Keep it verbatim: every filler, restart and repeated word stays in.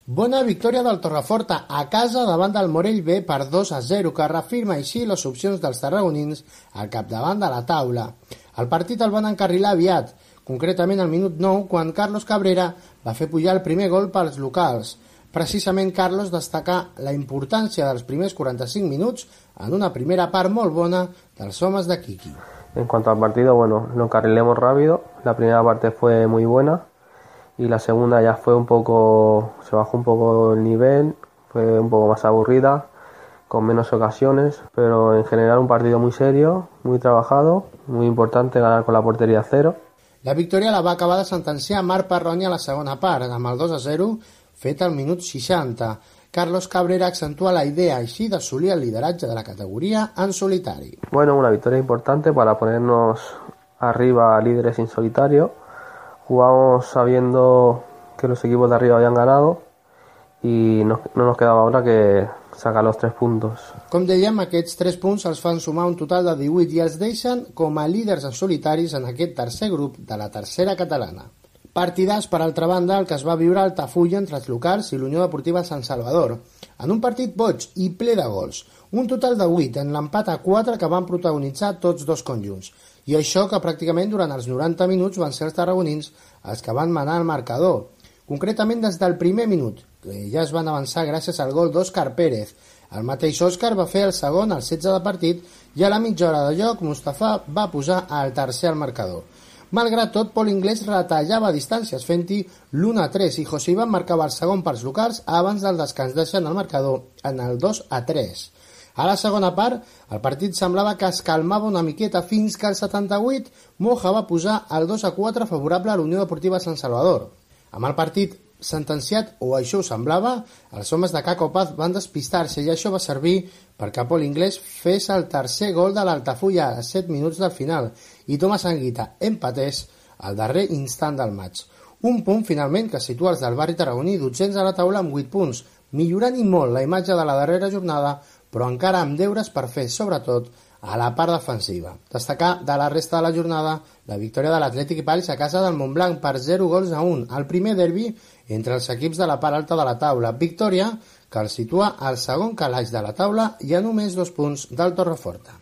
Bona victòria del Torreforta a casa davant del Morell B per dos a zero, que reafirma així les opcions dels tarragonins al capdavant de la taula. El partit el van encarrilar aviat, concretament al minut nou, quan Carlos Cabrera va fer pujar el primer gol pels locals. Precisament Carlos destacà la importància dels primers quaranta-cinc minuts en una primera part molt bona dels homes de Quiqui. En cuanto al partido, bueno, lo encarrilemos rápido. La primera parte fue muy buena y la segunda ya fue un poco, se bajó un poco el nivel, fue un poco más aburrida, con menos ocasiones, pero en general un partido muy serio, muy trabajado, muy importante ganar con la portería cero. La victòria la va acabar de sentenciar Marc Parroni a la segona part, amb el dos a zero fet al minut seixanta. Carlos Cabrera accentua la idea així d'assolir el lideratge de la categoria en solitari. Bueno, una victoria importante para ponernos arriba líderes en solitario. Jugamos sabiendo que los equipos de arriba habían ganado y no, no nos quedaba ahora que sacar los tres puntos. Com dèiem, aquests tres punts els fan sumar un total de divuit i els deixen com a líders en solitaris en aquest tercer grup de la tercera catalana. Partidàs, per altra banda, el que es va viure al Tafulla entre els locals i l'Unió Deportiva Sant Salvador, en un partit boig i ple de gols, un total de vuit en l'empat a quatre que van protagonitzar tots dos conjunts, i això que pràcticament durant els noranta minuts van ser els tarragonins els que van manar el marcador, concretament des del primer minut, que ja es van avançar gràcies al gol d'Òscar Pérez. El mateix Òscar va fer el segon al setze de partit i a la mitja hora de joc Mustafa va posar el tercer al marcador. Malgrat tot, Pol Inglés retallava distàncies fent-hi l'u a tres i José Iván marcava el segon pels locals abans del descans, deixant el marcador en el dos a tres. A la segona part, el partit semblava que es calmava una miqueta fins que al setanta-vuit Moja va posar el dos a quatre favorable a l'Unió Deportiva Sant Salvador. Amb el partit sentenciat, o això ho semblava, els homes de Caco Paz van despistar-se i això va servir perquè Pol Inglés fes el tercer gol de l'Altafulla a set minuts del final i Tomàs Anguita empatés al darrer instant del maig. Un punt, finalment, que situa els del barri tarragoní dotzens a la taula amb vuit punts, millorant i molt la imatge de la darrera jornada, però encara amb deures per fer, sobretot, a la part defensiva. Destacar de la resta de la jornada la victòria de l'Atlètic Valls a casa del Montblanc per zero gols a un, el primer derbi entre els equips de la part alta de la taula. Victòria que el situa al segon calaix de la taula i a només dos punts del Torreforta.